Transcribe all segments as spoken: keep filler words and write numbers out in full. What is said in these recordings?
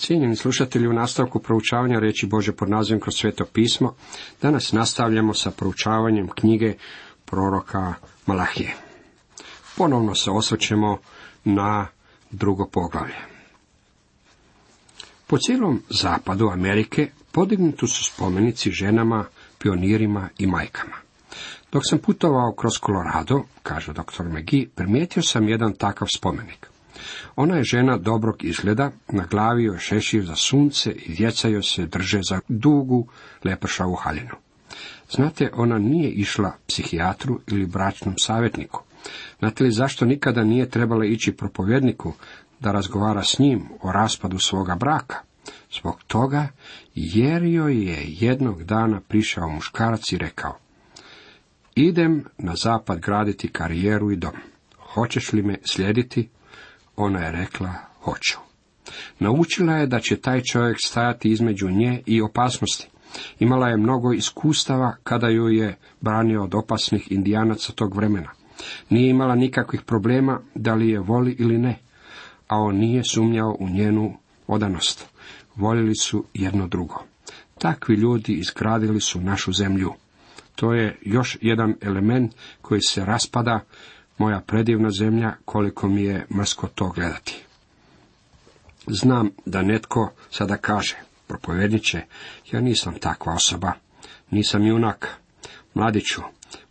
Cijenjeni slušatelji, u nastavku proučavanja riječi Božje pod nazivom Kroz sveto pismo, danas nastavljamo sa proučavanjem knjige proroka Malahije. Ponovno se osvrćemo na drugo poglavlje. Po cijelom zapadu Amerike podignuti su spomenici ženama, pionirima i majkama. Dok sam putovao kroz Colorado, kaže doktor McGee, primijetio sam jedan takav spomenik. Ona je žena dobrog izgleda, na glavi joj šešir za sunce i djeca joj se drže za dugu lepršavu haljinu. Znate, ona nije išla psihijatru ili bračnom savjetniku. Znate li zašto nikada nije trebala ići propovjedniku da razgovara s njim o raspadu svoga braka? Zbog toga jer joj je jednog dana prišao muškarac i rekao: idem na zapad graditi karijeru i dom. Hoćeš li me slijediti? Ona je rekla: hoću. Naučila je da će taj čovjek stajati između nje i opasnosti. Imala je mnogo iskustava kada ju je branio od opasnih indijanaca tog vremena. Nije imala nikakvih problema da li je voli ili ne, a on nije sumnjao u njenu odanost. Voljeli su jedno drugo. Takvi ljudi izgradili su našu zemlju. To je još jedan element koji se raspada, moja predivna zemlja, koliko mi je mrsko to gledati. Znam da netko sada kaže: propovjedniče, ja nisam takva osoba, nisam junak. Mladiću,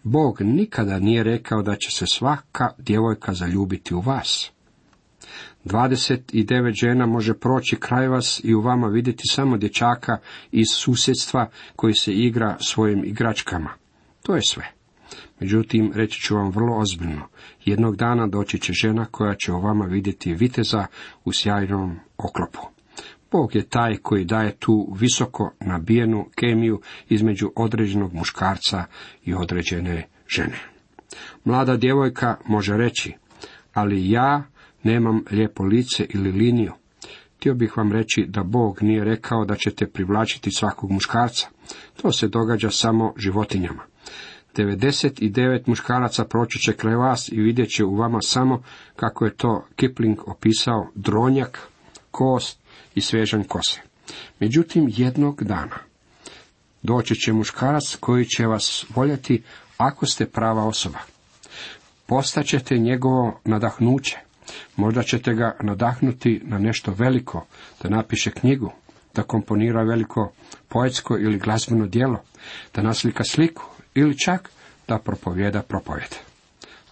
Bog nikada nije rekao da će se svaka djevojka zaljubiti u vas. Dvadeset i devet žena može proći kraj vas i u vama vidjeti samo dječaka iz susjedstva koji se igra svojim igračkama. To je sve. Međutim, reći ću vam vrlo ozbiljno, jednog dana doći će žena koja će u vama vidjeti viteza u sjajnom oklopu. Bog je taj koji daje tu visoko nabijenu kemiju između određenog muškarca i određene žene. Mlada djevojka može reći: ali ja nemam lijepo lice ili liniju. Htio bih vam reći da Bog nije rekao da ćete privlačiti svakog muškarca. To se događa samo životinjama. devedeset devet muškaraca proći će kraj vas i vidjet će u vama samo, kako je to Kipling opisao, dronjak, kost i svežanj kose. Međutim, jednog dana doći će muškarac koji će vas voljeti ako ste prava osoba. Postaćete njegovo nadahnuće. Možda ćete ga nadahnuti na nešto veliko, da napiše knjigu, da komponira veliko poetsko ili glazbeno djelo, da naslika sliku ili čak da propovjeda propovjed.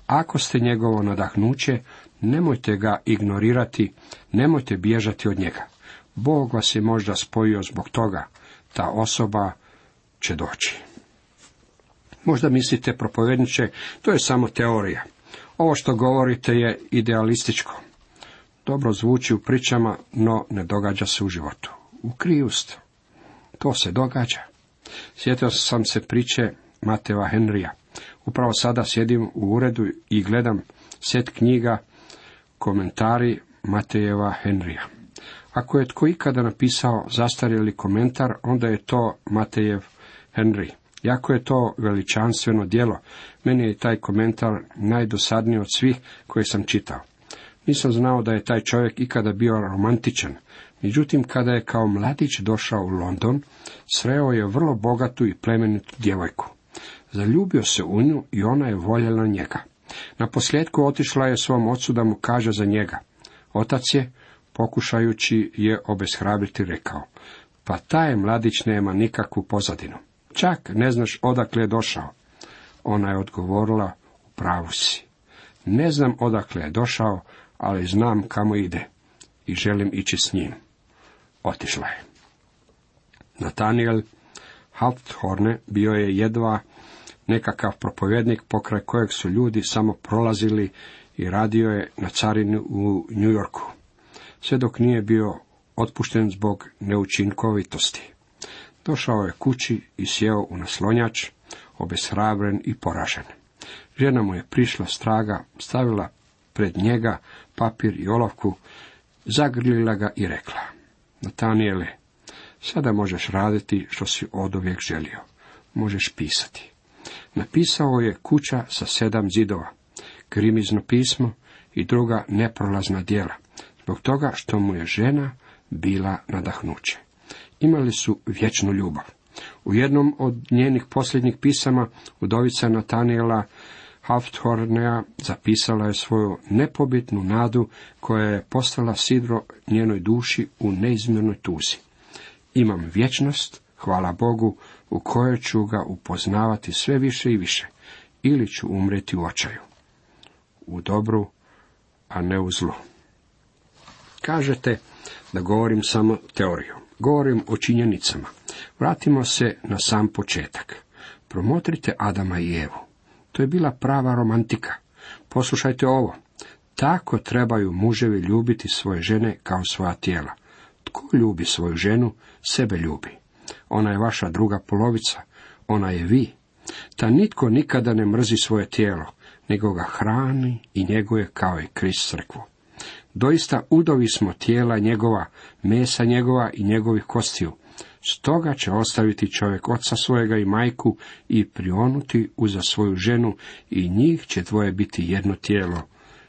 Ako ste njegovo nadahnuće, nemojte ga ignorirati, nemojte bježati od njega. Bog vas je možda spojio zbog toga, ta osoba će doći. Možda mislite, propovjedniče, to je samo teorija. Ovo što govorite je idealističko. Dobro zvuči u pričama, no ne događa se u životu. U kriju ste. To se događa. Sjetio sam se priče Mattea Henrya. Upravo sada sjedim u uredu i gledam set knjiga, komentari Matejeva Henrya. Ako je tko ikada napisao zastarjeli komentar, onda je to Matejev Henry. Jako je to veličanstveno djelo. Meni je taj komentar najdosadniji od svih koje sam čitao. Nisam znao da je taj čovjek ikada bio romantičan. Međutim, kada je kao mladić došao u London, sreo je vrlo bogatu i plemenitu djevojku. Zaljubio se u nju i ona je voljela njega. Naposljetku otišla je svom ocu da mu kaže za njega. Otac je, pokušajući je obeshrabriti, rekao: pa taj mladić nema nikakvu pozadinu. Čak ne znaš odakle je došao. Ona je odgovorila: u pravu si. Ne znam odakle je došao, ali znam kamo ide i želim ići s njim. Otišla je. Nathaniel Hawthorne bio je jedva nekakav propovjednik pokraj kojeg su ljudi samo prolazili i radio je na carini u New Yorku, sve dok nije bio otpušten zbog neučinkovitosti. Došao je kući i sjeo u naslonjač, obeshrabren i poražen. Žena mu je prišla straga, stavila pred njega papir i olovku, zagrlila ga i rekla: Natanijele, sada možeš raditi što si oduvijek želio. Možeš pisati. Napisao je Kuća sa sedam zidova, Grimizno pismo i druga neprolazna djela, zbog toga što mu je žena bila nadahnuće. Imali su vječnu ljubav. U jednom od njenih posljednjih pisama udovica Natanijela Hawthornea zapisala je svoju nepobitnu nadu koja je postala sidro njenoj duši u neizmjernoj tuzi. Imam vječnost, hvala Bogu, u kojoj ću ga upoznavati sve više i više, ili ću umreti u očaju. U dobru, a ne u zlu. Kažete da govorim samo teoriju. Govorim o činjenicama. Vratimo se na sam početak. Promotrite Adama i Evu. To je bila prava romantika. Poslušajte ovo. Tako trebaju muževi ljubiti svoje žene kao svoja tijela. Tko ljubi svoju ženu, sebe ljubi. Ona je vaša druga polovica. Ona je vi. Ta nitko nikada ne mrzi svoje tijelo, nego ga hrani i njeguje kao i Krist crkvu. Doista udovi smo tijela njegova, mesa njegova i njegovih kostiju. Stoga će ostaviti čovjek oca svojega i majku i prionuti uza svoju ženu i njih će dvoje biti jedno tijelo.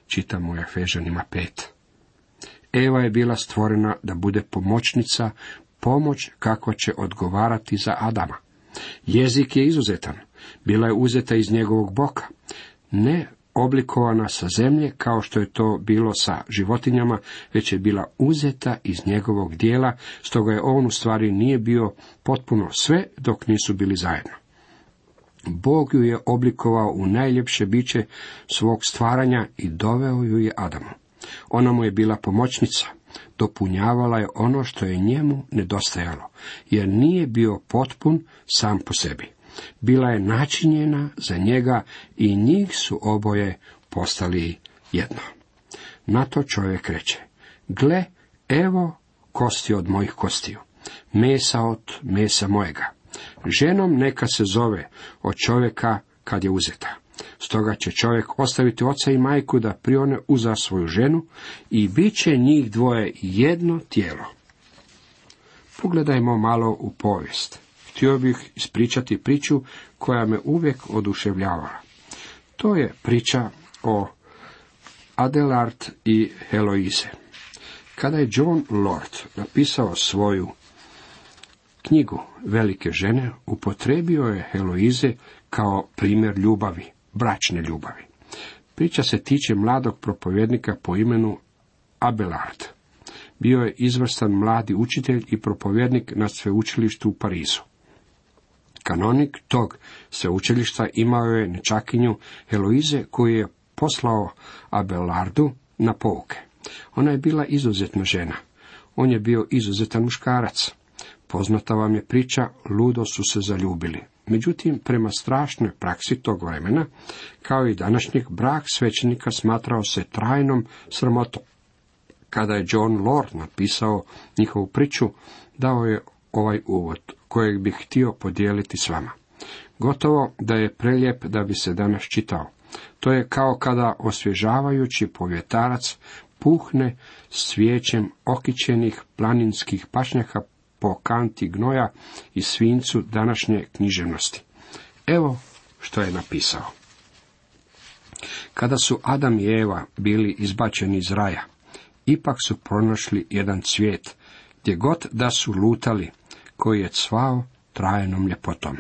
Čitamo u Efežanima pet. Eva je bila stvorena da bude pomoćnica, pomoć kako će odgovarati za Adama. Jezik je izuzetan. Bila je uzeta iz njegovog boka. Ne oblikovana sa zemlje, kao što je to bilo sa životinjama, već je bila uzeta iz njegovog dijela, stoga je on u stvari nije bio potpuno sve dok nisu bili zajedno. Bog ju je oblikovao u najljepše biće svog stvaranja i doveo ju je Adamu. Ona mu je bila pomoćnica, dopunjavala je ono što je njemu nedostajalo, jer nije bio potpun sam po sebi. Bila je načinjena za njega i njih su oboje postali jedno. Na to čovjek reče, gle, evo kosti od mojih kostiju, mesa od mesa mojega. Ženom neka se zove od čovjeka kad je uzeta. Stoga će čovjek ostaviti oca i majku da prione uza svoju ženu i bit će njih dvoje jedno tijelo. Pogledajmo malo u povijest. Htio bih ispričati priču koja me uvijek oduševljavala. To je priča o Adelard i Heloise. Kada je John Lord napisao svoju knjigu Velike žene, upotrijebio je Heloise kao primjer ljubavi, bračne ljubavi. Priča se tiče mladog propovjednika po imenu Abelard. Bio je izvrstan mladi učitelj i propovjednik na sveučilištu u Parizu. Kanonik tog sveučilišta imao je nečakinju Heloise koju je poslao Abelardu na pouke. Ona je bila izuzetna žena. On je bio izuzetan muškarac. Poznata vam je priča, ludo su se zaljubili. Međutim, prema strašnoj praksi tog vremena, kao i današnjeg, brak svećenika smatrao se trajnom sramotom. Kada je John Lord napisao njihovu priču, dao je ovaj uvod, kojeg bih htio podijeliti s vama. Gotovo da je prelijep da bi se danas čitao. To je kao kada osvježavajući povjetarac puhne svijećem okićenih planinskih pašnjaka po kanti gnoja i svincu današnje književnosti. Evo što je napisao. Kada su Adam i Eva bili izbačeni iz raja, ipak su pronašli jedan cvijet, gdje god da su lutali, koji je cvao trajnom ljepotom.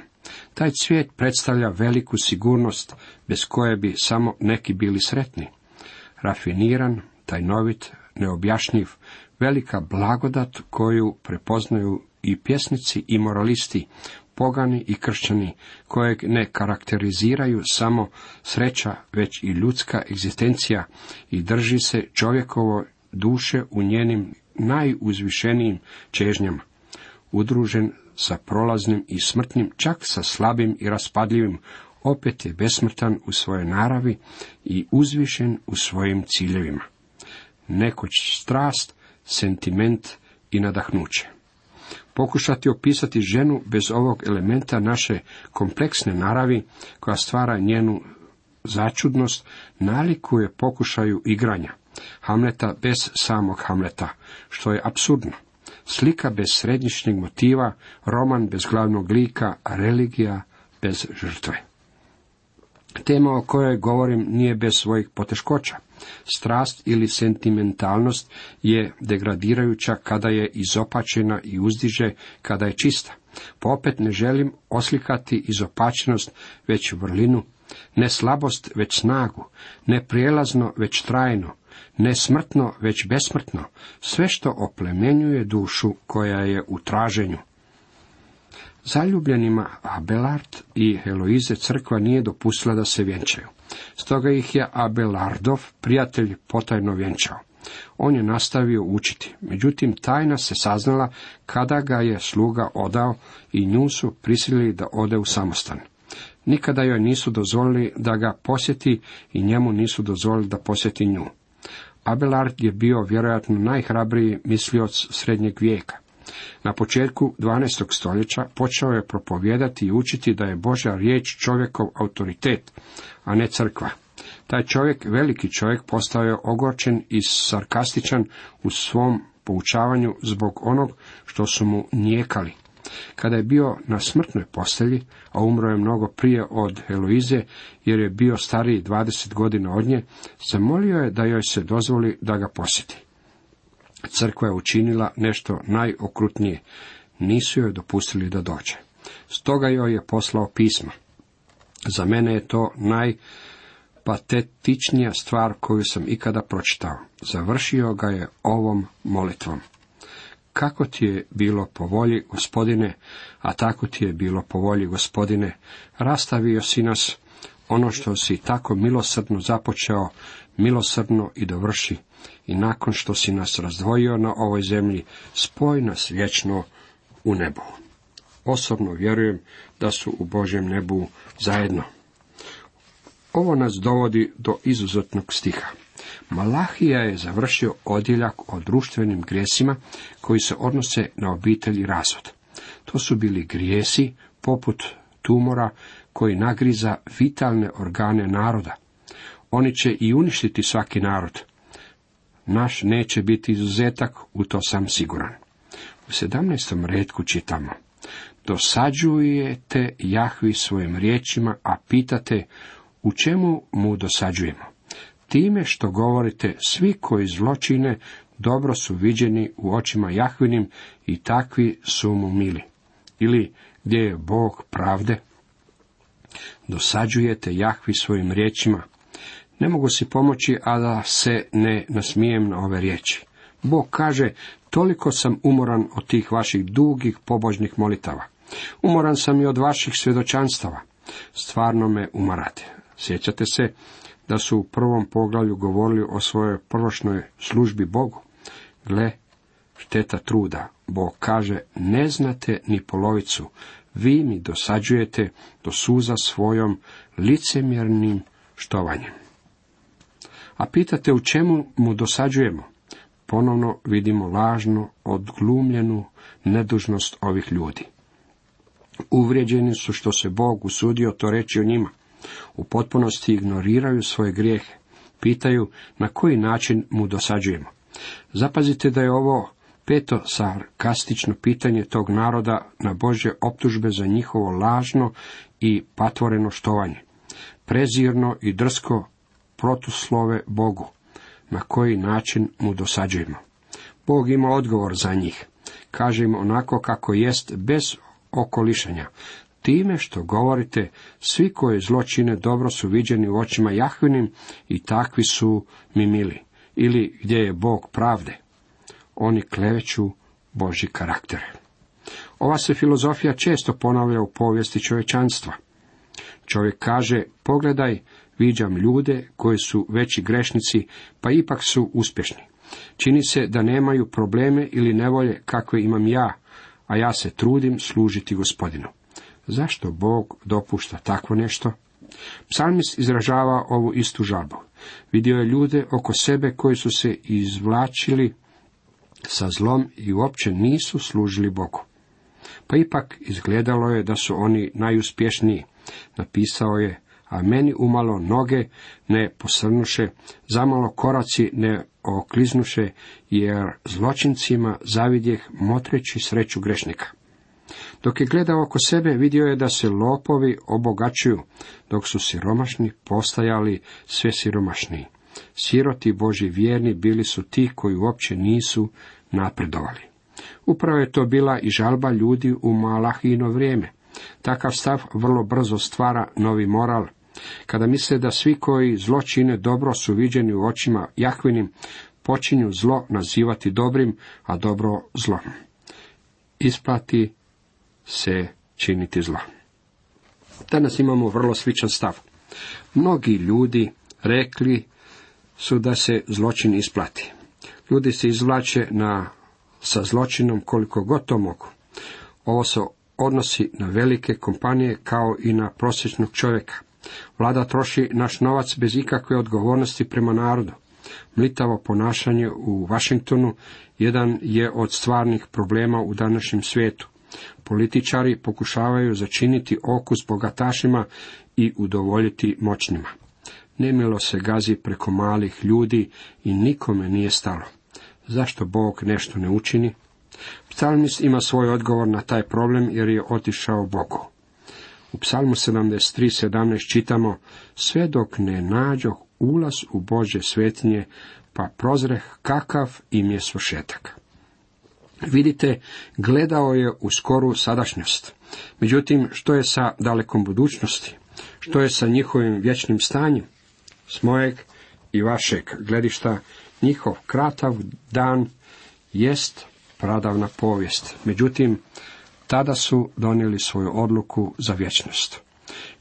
Taj cvijet predstavlja veliku sigurnost, bez koje bi samo neki bili sretni. Rafiniran, tajnovit, neobjašnjiv, velika blagodat koju prepoznaju i pjesnici i moralisti, pogani i kršćani, kojeg ne karakteriziraju samo sreća, već i ljudska egzistencija i drži se čovjekovo duše u njenim najuzvišenijim čežnjama. Udružen sa prolaznim i smrtnim, čak sa slabim i raspadljivim, opet je besmrtan u svojoj naravi i uzvišen u svojim ciljevima. Nekoć strast, sentiment i nadahnuće. Pokušati opisati ženu bez ovog elementa naše kompleksne naravi, koja stvara njenu začudnost, nalikuje pokušaju igranja Hamleta bez samog Hamleta, što je apsurdno. Slika bez središnjeg motiva, roman bez glavnog lika, religija bez žrtve. Tema o kojoj govorim nije bez svojih poteškoća. Strast ili sentimentalnost je degradirajuća kada je izopačena i uzdiže kada je čista. Pa opet ne želim oslikati izopačenost već vrlinu, ne slabost već snagu, ne prijelazno već trajno, ne smrtno već besmrtno, sve što oplemenjuje dušu koja je u traženju. Zaljubljenima Abelard i Heloize crkva nije dopustila da se vjenčaju. Stoga ih je Abelardov prijatelj potajno vjenčao. On je nastavio učiti, međutim tajna se saznala kada ga je sluga odao i nju su prisilili da ode u samostan. Nikada joj nisu dozvolili da ga posjeti i njemu nisu dozvolili da posjeti nju. Abelard je bio vjerojatno najhrabriji mislioc srednjeg vijeka. Na početku dvanaestog stoljeća počeo je propovijedati i učiti da je Božja riječ čovjekov autoritet, a ne crkva. Taj čovjek, veliki čovjek, postao je ogorčen i sarkastičan u svom poučavanju zbog onog što su mu nijekali. Kada je bio na smrtnoj postelji, a umro je mnogo prije od Heloize, jer je bio stariji dvadeset godina od nje, zamolio je da joj se dozvoli da ga posjeti. Crkva je učinila nešto najokrutnije, nisu joj dopustili da dođe. Stoga joj je poslao pisma. Za mene je to najpatetičnija stvar koju sam ikada pročitao. Završio ga je ovom molitvom. Kako ti je bilo po volji, Gospodine, a tako ti je bilo po volji, Gospodine, rastavio si nas, ono što si tako milosrdno započeo, milosrdno i dovrši, i nakon što si nas razdvojio na ovoj zemlji, spoj nas vječno u nebo. Osobno vjerujem da su u Božjem nebu zajedno. Ovo nas dovodi do izuzetnog stiha. Malahija je završio odjeljak o društvenim grijesima koji se odnose na obitelj i razvod. To su bili grijesi poput tumora koji nagriza vitalne organe naroda. Oni će i uništiti svaki narod. Naš neće biti izuzetak, u to sam siguran. U sedamnaestom retku čitamo: dosađujete Jahvi svojim riječima, a pitate u čemu mu dosađujemo. Time što govorite, svi koji zločine dobro su viđeni u očima Jahvinim i takvi su mu mili. Ili gdje je Bog pravde? Dosađujete Jahvi svojim riječima. Ne mogu si pomoći, a da se ne nasmijem na ove riječi. Bog kaže, toliko sam umoran od tih vaših dugih pobožnih molitava. Umoran sam i od vaših svjedočanstava. Stvarno me umarate. Sjećate se da su u prvom poglavlju govorili o svojoj prvošnoj službi Bogu? Gle, šteta truda. Bog kaže, ne znate ni polovicu. Vi mi dosađujete do suza svojom licemjernim štovanjem. A pitate u čemu mu dosađujemo? Ponovno vidimo lažno odglumljenu nedužnost ovih ljudi. Uvrijeđeni su što se Bog usudio to reći o njima. U potpunosti ignoriraju svoje grijehe. Pitaju na koji način mu dosađujemo. Zapazite da je ovo peto sarkastično pitanje tog naroda na Božje optužbe za njihovo lažno i patvoreno štovanje. Prezirno i drsko protuslove Bogu. Na koji način mu dosađujemo? Bog ima odgovor za njih. Kaže im onako kako jest, bez okolišanja. Time što govorite, svi koji zločine dobro su viđeni u očima Jahvinim i takvi su mi mili. Ili gdje je Bog pravde? Oni kleveću Božji karakter. Ova se filozofija često ponavlja u povijesti čovječanstva. Čovjek kaže, pogledaj, viđam ljude koji su veći grešnici, pa ipak su uspješni. Čini se da nemaju probleme ili nevolje kakve imam ja, a ja se trudim služiti Gospodinu. Zašto Bog dopušta takvo nešto? Psalmist izražava ovu istu žalbu. Vidio je ljude oko sebe koji su se izvlačili sa zlom i uopće nisu služili Bogu. Pa ipak izgledalo je da su oni najuspješniji. Napisao je, a meni umalo noge ne posrnuše, zamalo koraci ne okliznuše, jer zločincima zavidjeh motreći sreću grešnika. Dok je gledao oko sebe, vidio je da se lopovi obogaćuju, dok su siromašni postajali sve siromašniji. Siroti Božji vjerni bili su ti koji uopće nisu napredovali. Upravo je to bila i žalba ljudi u Malahijino vrijeme. Takav stav vrlo brzo stvara novi moral. Kada misle da svi koji zlo čine dobro su viđeni u očima Jahvinim, počinju zlo nazivati dobrim, a dobro zlom. Isplati se činiti zlo. Danas imamo vrlo sličan stav. Mnogi ljudi rekli su da se zločin isplati. Ljudi se izvlače na, sa zločinom koliko god to mogu. Ovo se odnosi na velike kompanije kao i na prosječnog čovjeka. Vlada troši naš novac bez ikakve odgovornosti prema narodu. Mlitavo ponašanje u Washingtonu jedan je od stvarnih problema u današnjem svijetu. Političari pokušavaju začiniti okus bogatašima i udovoljiti moćnima. Nemilo se gazi preko malih ljudi i nikome nije stalo. Zašto Bog nešto ne učini? Psalmist ima svoj odgovor na taj problem jer je otišao Bogu. U Psalmu sedamdeset tri sedamnaest čitamo: sve dok ne nađoh ulaz u Božje svetinje, pa prozreh kakav im je svršetak. Vidite, gledao je u skoru sadašnjost. Međutim, što je sa dalekom budućnosti? Što je sa njihovim vječnim stanjem? S mojeg i vašeg gledišta, njihov kratav dan jest pradavna povijest. Međutim, tada su donijeli svoju odluku za vječnost.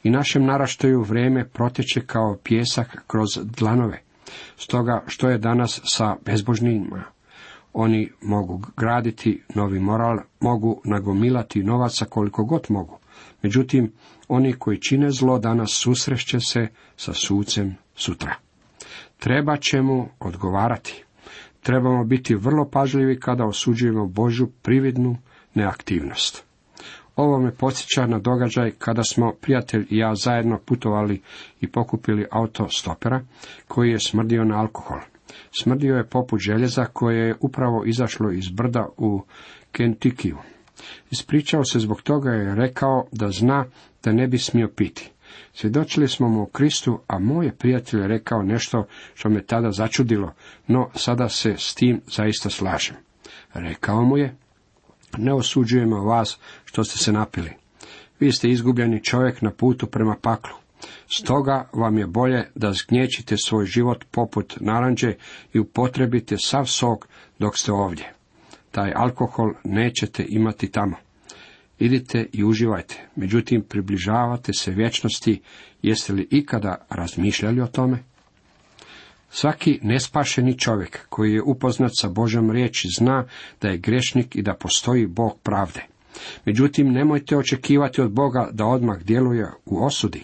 I našem naraštaju vrijeme proteče kao pijesak kroz dlanove. Stoga, što je danas sa bezbožnima? Oni mogu graditi novi moral, mogu nagomilati novaca koliko god mogu. Međutim, oni koji čine zlo danas susreće se sa sucem sutra. Treba će mu odgovarati. Trebamo biti vrlo pažljivi kada osuđujemo Božju prividnu neaktivnost. Ovo me podsjeća na događaj kada smo prijatelj i ja zajedno putovali i pokupili auto stopera koji je smrdio na alkohol. Smrdio je poput željeza koje je upravo izašlo iz brda u Kentuckyu. Ispričao se zbog toga i rekao da zna da ne bi smio piti. Svjedočili smo mu o Kristu, a moj je prijatelj rekao nešto što me tada začudilo, no sada se s tim zaista slažem. Rekao mu je: ne osuđujemo vas što ste se napili. Vi ste izgubljeni čovjek na putu prema paklu. Stoga vam je bolje da zgnječite svoj život poput naranđe i upotrebite sav sok dok ste ovdje. Taj alkohol nećete imati tamo. Idite i uživajte, međutim približavate se vječnosti. Jeste li ikada razmišljali o tome? Svaki nespašeni čovjek koji je upoznat sa Božjom riječi zna da je grešnik i da postoji Bog pravde. Međutim, nemojte očekivati od Boga da odmah djeluje u osudi.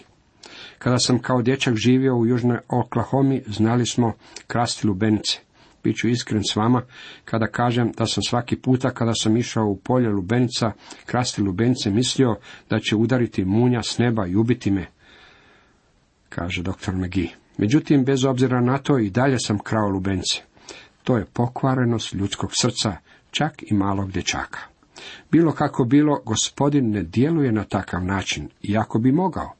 Kada sam kao dječak živio u južnoj Oklahomi, znali smo krasti lubenice. Biću iskren s vama kada kažem da sam svaki puta kada sam išao u polje lubenica krasti lubenice mislio da će udariti munja s neba i ubiti me, kaže doktor McGee. Međutim, bez obzira na to i dalje sam krao lubenice. To je pokvarenost ljudskog srca, čak i malog dječaka. Bilo kako bilo, Gospodin ne djeluje na takav način, iako bi mogao.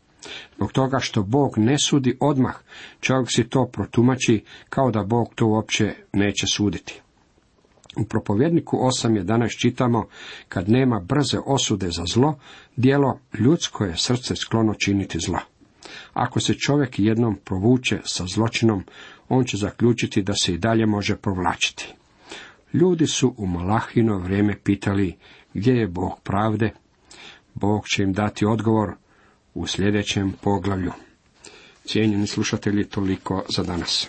Zbog toga što Bog ne sudi odmah, čovjek si to protumači kao da Bog to uopće neće suditi. U Propovjedniku osam jedanaest čitamo: kad nema brze osude za zlo, djelo ljudsko je srce sklono činiti zlo. Ako se čovjek jednom provuče sa zločinom, on će zaključiti da se i dalje može provlačiti. Ljudi su u Malahino vrijeme pitali: gdje je Bog pravde? Bog će im dati odgovor u sljedećem poglavlju. Cijenjeni slušatelji, toliko za danas.